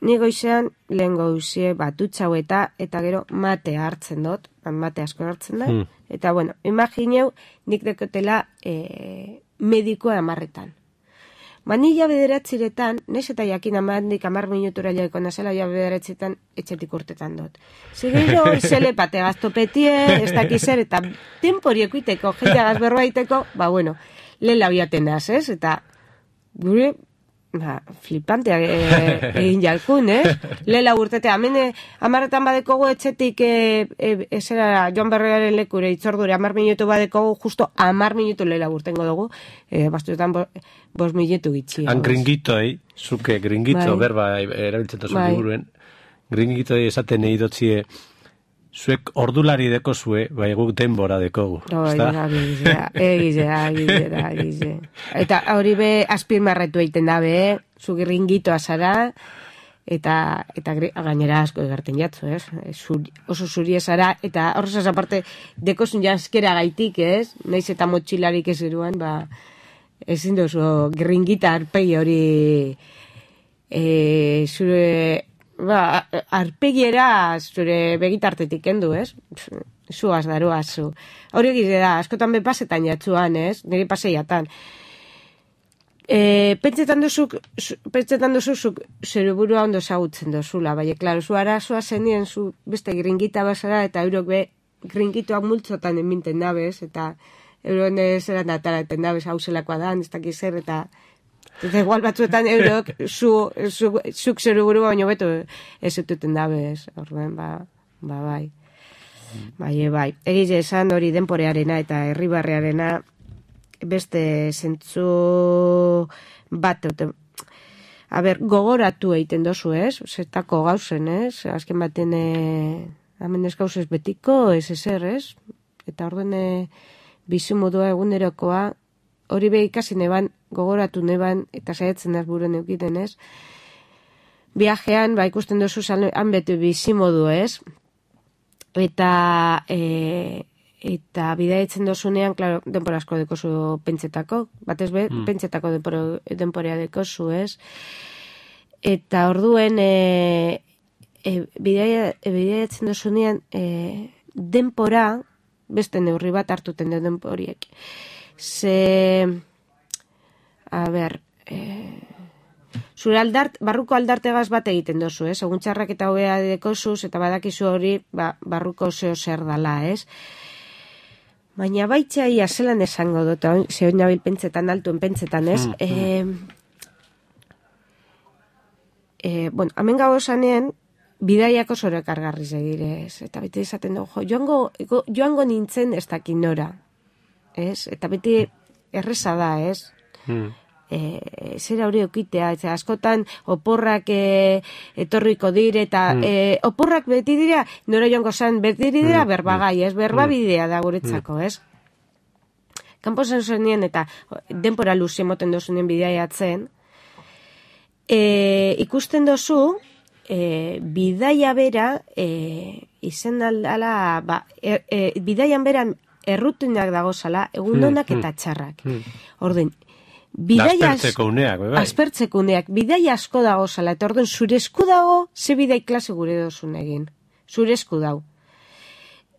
ni goizean lehen goizie batutxau eta gero mate hartzen dut, mate asko hartzen da, eta imagineu nik dekotela medikoa 10 Ni ja bederatziretan, naiz eta jakin amandik 10 minutura jaiko nazela, ja bederatziretan etxetik urtetan dut. Zegero, izele pate gaztopetie, ez dakizer, eta temporiekuiteko, jenteagaz berroaiteko, lehen labiaten az, ez? Eta gure, flipanteak egin jalkun, ez? Lehen laburtetea, hemen 10 badekogu etxetik, Joan Berrearen lekure itzordure 10 minutu badekogu, justo 10 minutu lehen laburtengo dugu, bastuetan 5 minutu gitxi. Han gringitoi, zuke gringito, berba erabiltzen tozu liburuen, gringitoi esaten egidotzie, zuek ordulari deko zue, guk denbora dekogu. Egize. Eta hori azpimarratu egiten da zu gringitoa zara, eta gainera asko egarten jatzu, ez? Oso zurie zara, eta horrezaz aparte, dekozun janskera gaitik, ez? Naiz eta motxilarik ez eruan, ezin dozu gringita arpegi hori zure... arpegiera zure begitartetik kendu, ez? Zuaz daroa, zu. Hori egize da, askotan bepasetan jatzuan, ez? Nire paseiatan. Pentsetan duzuk zure burua ondo zagutzen dozula, bai, klaro, zu arazoa zenien zu beste gringita basara, eta eurok gringitoak multzotan eminten dabez, eta euron zeran ataraten dabez, hau zelakoa da, ez dakiz zer, eta igual batzuetan eurok zuk zure burua baino beto ez zututen dabez, orduan, bai. Bai. Egize esan hori denporearena eta herribarrearena beste zentzu bat gogoratu egiten dozu, ez? Zetako gauzen, ez? Azken baten hemen ez gauz ez betiko, ez ezer, ez? Eta orduen bizimodua egunerokoa hori be ikasi neban, gogoratu neban, eta saiatzen ez buruan eukiten, ez? Viajean, ikusten dozu han beti bizimodu, ez? Eta bidaietzen dozunean, klaro, denpora asko dekozu pentsetako, batez be, pentsetako denporea dekozu, ez? Eta orduen bidaietzen dozunean denpora, beste neurri bat hartuten den denporiek. Zure barruko aldartegaz bat egiten dozu, ez? Egun txarrak eta hobea dekozuz, eta badakizu hori, barruko zeo zer dala, ez? Baina baitxa ia zelan esango dut, zeo nabil pentsetan, altuen pentsetan, ez? Hemen gau esanean, bidaiako zore kargarriz egirez, eta beti izaten dugu, joango nintzen ez dakin nora, ez? Eta beti erreza da, ez? Zera hori okitea, eta askotan oporrak etorriko dire, eta oporrak beti dira, nora joango zan, beti dira berbagai, ez? Berbabidea da guretzako, ez? Kanpo zen zenien, eta denpora luzi emoten dozunien bidaiatzen, ikusten dozu, bidaia bera, izen aldala, bidaian beran errutinak dagozala, egundonak eta txarrak. Orden, aspertzeko uneak, bidaia asko dagozala, eta orden, zure esku dago, ze bidai klase gure dozun egin. Zure esku dago.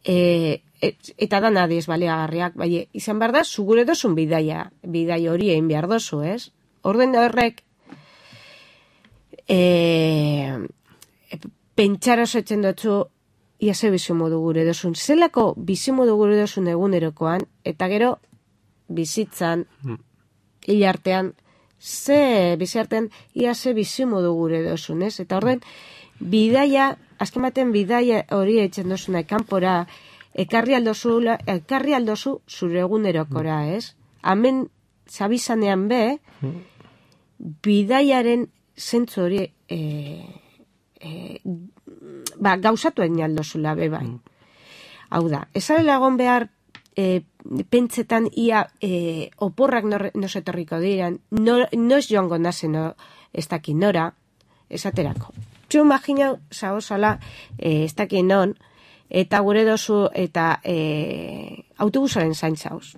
Eta da nadiz baliagarriak, bai, izan behar da, zugure dozun bidai hori egin behar dozu, ez? Orden horrek, pentsara osetzen dutzu ia ze bizimodu gure dozun. Zelako bizimodu gure dozun egunerokoan, eta gero bizitzan, hilartean, biziartean ia ze bizimodu gure dozun, ez? Eta orden, bidaia, azken baten bidaia hori eitzen dozuna kanpora, ekarri aldozu zure egunerokora, ez? Hemen zabizanean be, bidaiaren zentzu hori gauzatu egin aldozula, bai. Hau da, ezarela egon behar pentsetan ia oporrak nosetorriko diran, noiz joango nazen ez dakin nora, esaterako. Txu imaginau, zaozala, ez dakin non, eta gure dozu, eta autobusaren zaintzauz.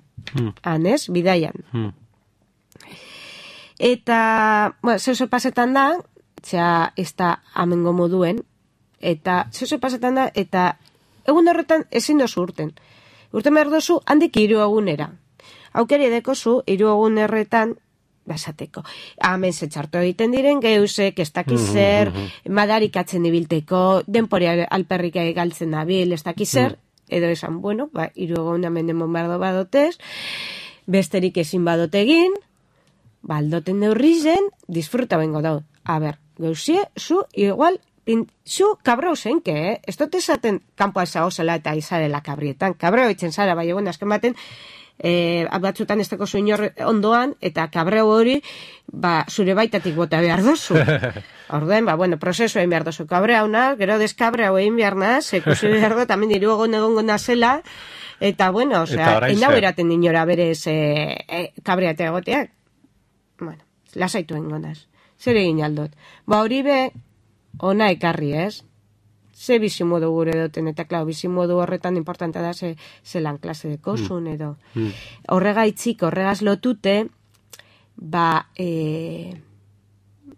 Hanez, bidaian. Eta, zeuzo pasetan da, ez da amengo moduen, eta zeuzo pasetan da, eta egun horretan ezin dozu urten. Urten behar dozu, handik 3 egunera. Aukeri dekozu, 3 egun erretan, basateko. Hemen zetxartu egiten diren, geusek, ez dakizer, madarikatzen ibilteko, denporea alperrik galtzen dabil, ez dakizer, edo esan, 3 egun hemen demon behar badotez, besterik ezin badotegin, baldoten neurrizen, disfruta bengo dau. Geusie, zu, igual, zu kabrau zenke, ez dut esaten kanpoa ezagozela eta izarela kabrietan. Kabrau itzen zara, bai egon, azken baten, batzutan ez teko zuinor ondoan, eta kabrau hori, zure baitatik bota behar dozu. Orduen, prozesu egin behar dozu kabreauna, gero deskabrau egin behar naz, ekusi behar do, tamen 3 egongo nazela, eta enau eraten dinora berez kabreate egoteak. Lasaitu egin gondaz. Zer egin aldot. Hori be, ona ekarri, ez? Ze bizimodu gure duten, eta klau, bizimodu horretan importanta da zelan klase dekozun, edo. Horregaitzik, horregaz lotute,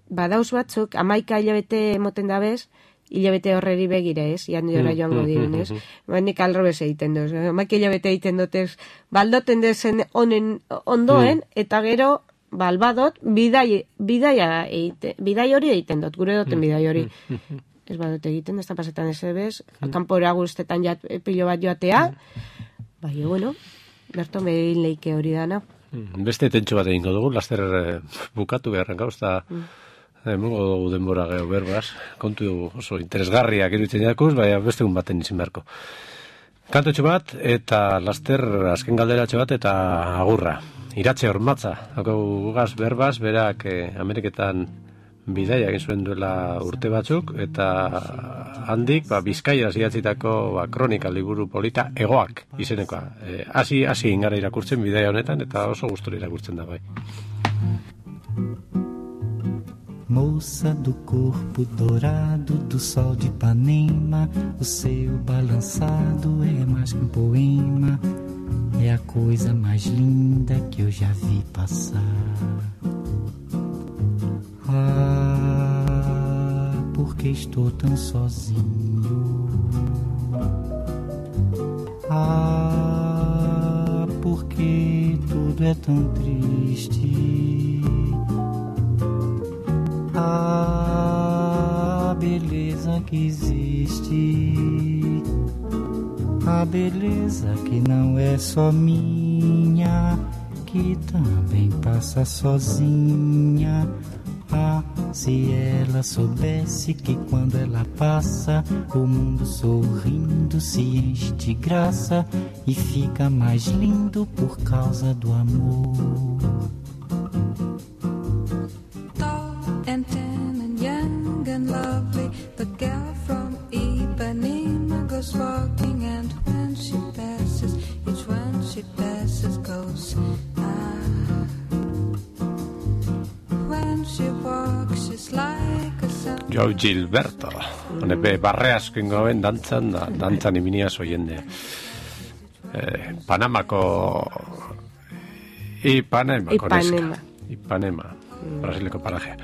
dauz batzuk, 11 hilabete emoten dabez, hilabete horreri begire, ez? Ian jora joango diren, ez? Nik alrobez egiten duz. 11 hilabete egiten dutez, baldoten dezen ondoen, eta gero, albadot, bidai hori egiten dut, gure duten bidai hori. Ez badot egiten, ez da pasetan ez ebez, kanpora guztetan pilo bat joatea, berto megin leike hori dana. Beste tentxo bat egingo dugu, laster bukatu beharren gauz, eta emongo dugu denbora geho berbaz, kontu oso interesgarriak iruditzen jakuz, baina beste egun baten izin beharko. Kantotxo bat, eta laster azken galderatxo bat, eta agurra. Iratxe Ormatza, gugaz berbaz, berak Ameriketan bidaia egin zuen duela urte batzuk, eta handik, Bizkaiaz idatzitako kronika liburu polita Egoak izenekoa. Hasi ingara irakurtzen bidaia honetan, eta oso gustura irakurtzen da bai. Moça do corpo dourado do sol de Ipanema, o seu balançado é mais que um poema, é a coisa mais linda que eu já vi passar. Ah, porque estou tão sozinho. Ah, porque tudo é tão triste. A beleza que existe, a beleza que não é só minha, que também passa sozinha. Ah, se ela soubesse que quando ela passa, o mundo sorrindo se enche de graça e fica mais lindo por causa do amor. And tan and young and lovely, the girl from Ipanema goes walking, and when she passes, each one she passes goes when she walks, she's like a sun. Joe Gilberto, honepe barre asko ingoen dantzan iminiaz oiende. Panamako Ipanema, Brasileko parajea.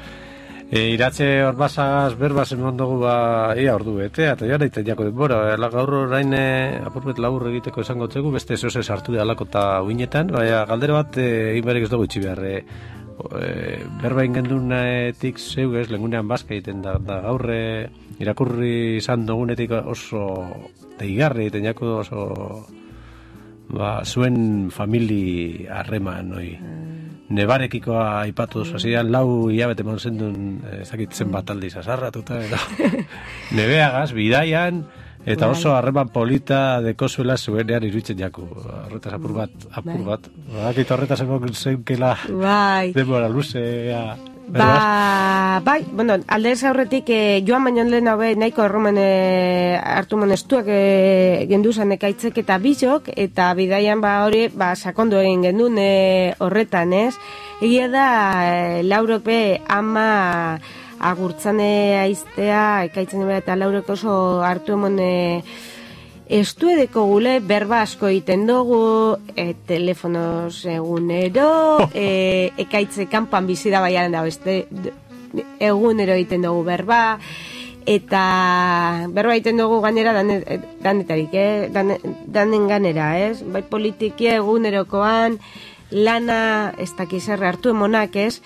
Iratxe Ormatzagaz berbaz eman dugu ia ordu betea, eta jara iten jako denbora. Gaur orain apurbet labur egiteko esango txegu, beste zehose sartu da alako eta uinetan, baina galdera bat egin berek ez dugu itxi behar. Berba ingendunetik zeu ez, lengunean bazka egiten da gaur irakurri izan dugunetik oso deigarri egiten jako oso zuen famili harreman, nebarekikoa aipatu hasian 4 hilabete eman zendun ezakitzen bat aldiz azarratuta eta nebeagaz, bidaian eta oso harreman polita dekozuela zuenean iruditzen jaku. Horretaz apur bat. Bakit horretaz egon zeukela denbora luzea. Bai, bueno, aldez aurretik joan baino lehen hau nahiko erromen hartu monestuak genduzan ekaitzek eta bizok, eta bidaian hori sakondu egin gendun horretan, ez? Egia da, Laurope ama agurtzane aiztea, ekaitzen eta Laurok oso hartu emone estuedeko gule berba asko egiten dugu, telefonos egunero, ekaitze kanpan bizida baiaren da, egunero egiten dugu berba, eta berba egiten dugu ganera danetarik, danen ganera, ez? Bai politikia egunerokoan, lana, ez dakizerre hartu emonak, ez?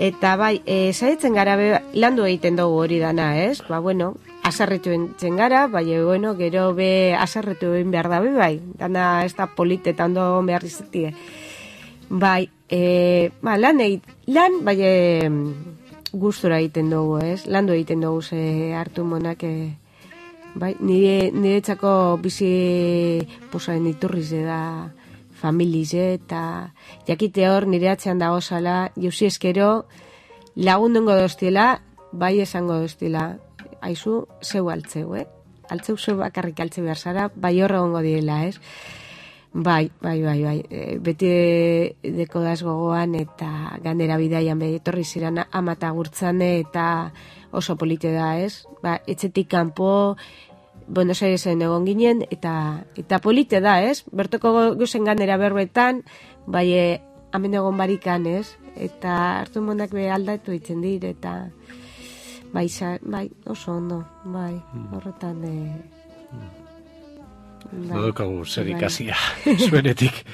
Eta bai, zaitzen gara landu egiten dugu hori dana, ez? Bueno, asarretu entzen gara, bueno, gero asarretu egin behar dabe, bai. Dana ez da polite ondo behar izatie. Bai, lan, gustura egiten dugu, ez? Landu egiten dugu ze hartu monak, bai, nire txako bizi posaren iturrize da familize, eta jakite hor nire atzean dago zala, jauzi eskero lagundungo doztiela, bai esango doztiela, aizu, zeu altzeu, altzeu zeu bakarrik altze behar zara, bai horre gongo direla, ez? Bai, beti deko daz gogoan, eta ganera bidaian etorri ziren amata gurtzane, eta oso polite da, ez? Etxetik kanpo, Buenos Airesen egon ginen, eta polite da, ez? Bertoko guzen ganera berbetan, bai, hemen egon barikan, ez? Eta hartu monak aldatu itzen dir, eta bai, oso ondo, bai, horretan... Nodokagu zer ikasia, zuenetik.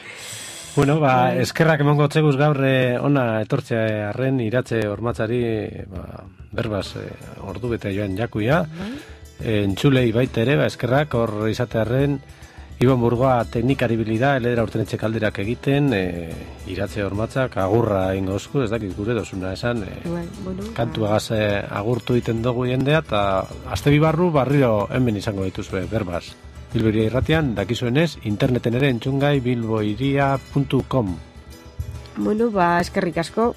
Bueno, eskerrak emongo txeguz gaur ona etortzea arren Iratxe Ormatzari, berbaz, ordu bete joan jakuia, entzulei baita ere, eskerrak hor izatearen, Ibon Burgoa teknikari bilida, eledera urtenetxe kalderak egiten, Iratxe Ormatzak agurra ingo osku, ez dakit gure dozuna esan, kantuagaz agurtu iten dugu jendea, eta aste bibarru barriro hemen izango dituzue, berbaz. Bilboiria irratian, dakizuenez, interneten ere entzungai bilboiria.com. Bueno, eskerrik asko,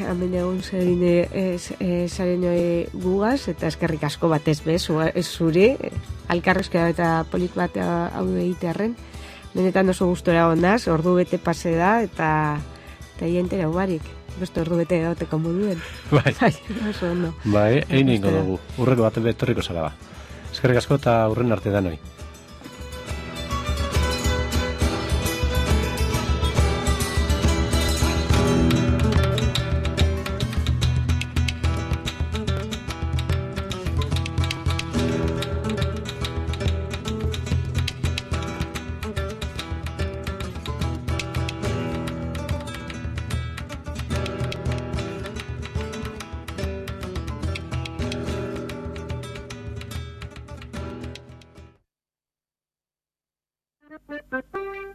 hemen egun zaren gugaz, eta eskerrik asko batez bez, zuri, alkarrezkera eta polit bat hau egitearen. Benetan oso gustora ondaz, ordu bete pase da, eta jentera barik. Beste ordu bete gauteko moduen. Bai. Oso ondo. Bai, egin ingo dugu. Urreko bat betorriko zara ba. Eskerrik asko eta urren arte danoi. Thank you.